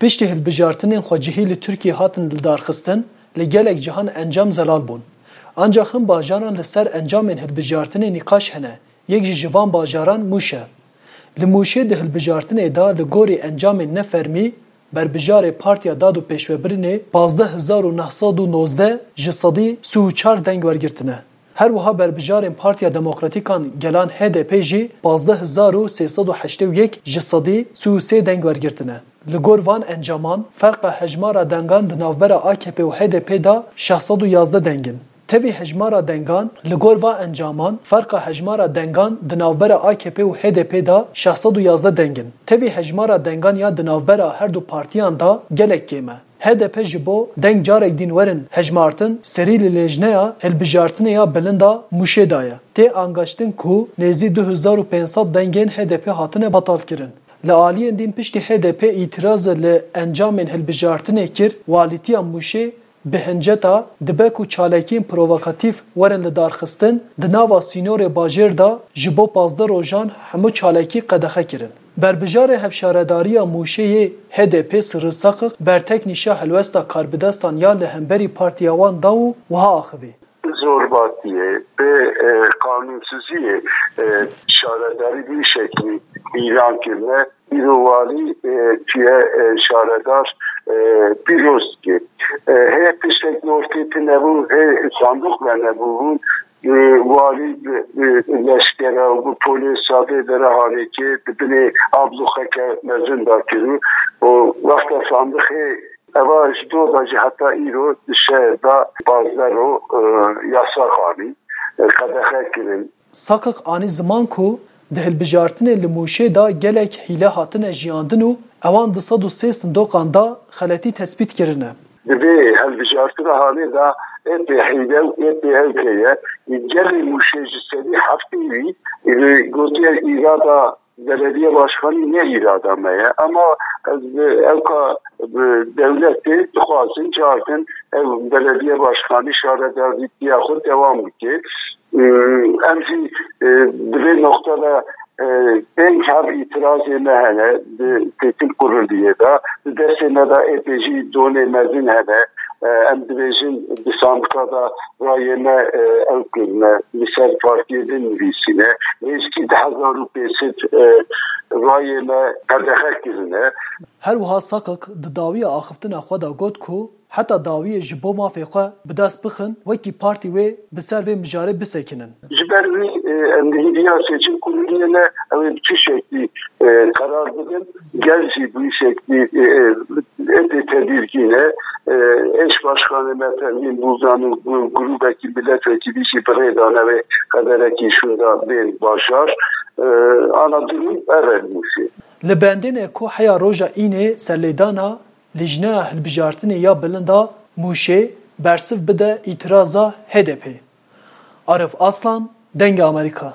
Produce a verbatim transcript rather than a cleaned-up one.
Piştî hilbijartinên xwecihî li Tirkiyê hatin lidarxistin, li gelek cihan encam zelal bûn. Ancax hin bajaran li ser encamên hilbijartinê nîqaş hene, yek jî ji van bajaran Mûş e. Li Mûşê di hilbijartinê de li gorî encamên nefermî, berbijarê Partiya Dad û Pêşvebirinê pazdeh hezar û neh sed û nozdeh ji sedî sî û çar deng wergirtine. Her wiha berbijarên Partiya Demokratîkan Gelan H D P jî pazdeh hezar û sê sed û heştê û yek ji sedî sî û sê deng wergirtine. Li gor van encaman, ferqa hejmara dengan di navbera A K P û H D P de şeş sed û yazdeh deng in. Tevî hejmara dengan, li gor van encaman, ferqa hejmara dengan di navbera A K P û H D P de şeş sed û yazdeh deng in. Tevî hejmara dengan ya di navbera her du partiyan de gelek kêm e. H D P ji bo deng carek din werin hejmartin, serî li lêjneya hilbijartinê ya bilind a Mûşê daye. Tê angaştin ku nêzî du hezar û pênc sed dengên H D P hatine betalkirin. Li aliyên din piştî H D P îtiraze li encamên hilbijartinê kir, walîtiya Mûşê bi hinceta dibe ku çalakiyên provokatîf werin lidarxistin, di nava sînorê bajêr de ji bo pazdeh rojan hemû çalakî qedexe kirin. Berbijarê Hevşaredariya Mûşê yê H D P Sirri Sakik berteknîşa helwesta karbidestan ya li hemberî partiya wan da û wiha axivî. Zorbatiyê, bi, e, qanûnsiziyê, e, şaredarî bi şeklî îlan kirine. Îro walî, e, çûye, e, şaredar, e, pîroz dike. E, hê tiştek li ortê tune bû, hê sanduq venebûbûn. E, walî bi, bi leşkera û bi polêsa vê dere hanê kê di binê abluxeke mezin de kirû. Û wexta sanduqê eva ji dor de jî heta îro di şehir de pazdeh ro, e, yasax anî, e, qedexe kirin. Sakik anî ziman ku di hilbijartinê li Mûşê de gelek hîle hatine jiyandin û ewan du sed û sê sindoqan de xeletî tespît kirine. Di vê hilbijartina hanê de ê pê hîle û ê pê ew heye. Gelê Mûşê ji sedî heftê wî, e, gotiye îrada belediye başkanî ne îrada me ye. Ama ez, e, ewka, e, dewletê dixwazin, cardin ev belediye başkanî şaredarîtiya xwe dewam bike. E, em jî, e, di vê noqta de, e, pênc heb îtirazê me hene di Têkil Kuruliyê de. Di destê me de ê pê jî donê mezin hene. E, em dibêjin di sandika de rayê me, e, ew kirine, li ser partiyê din nivîsîne. Nêzîkî du hezar û pênc sed, e, rayê me qedexe kirine. Her wiha Sakik di dawiya axiftina xwe de got ku heta dawiyê ji bo mafê xwe bi dest bixin, wekî partî wê bi ser vê mijarê bisekinin. Ji ber wî, e, em li hîviya seçim kuruliyê ne, ew ê bi çi şeklî, e, qerar bidin. Gel jî bi wî şeklî, e, e, ê tê tedirgîn e. E, eş başkanê me Pervîn Buldan û gru-, grûbekî milletvekilî jî bi rê dane wê qederekî şûnda bên bajar. E, ana durum ev e li Mûşê. Li bendêne ku heya roja Înê serlêdana Lîjneya Hilbijartinê ya Bilind a Mûşê bersiv bide îtiraza H D P. Arif Aslan, Dengê Amerîka.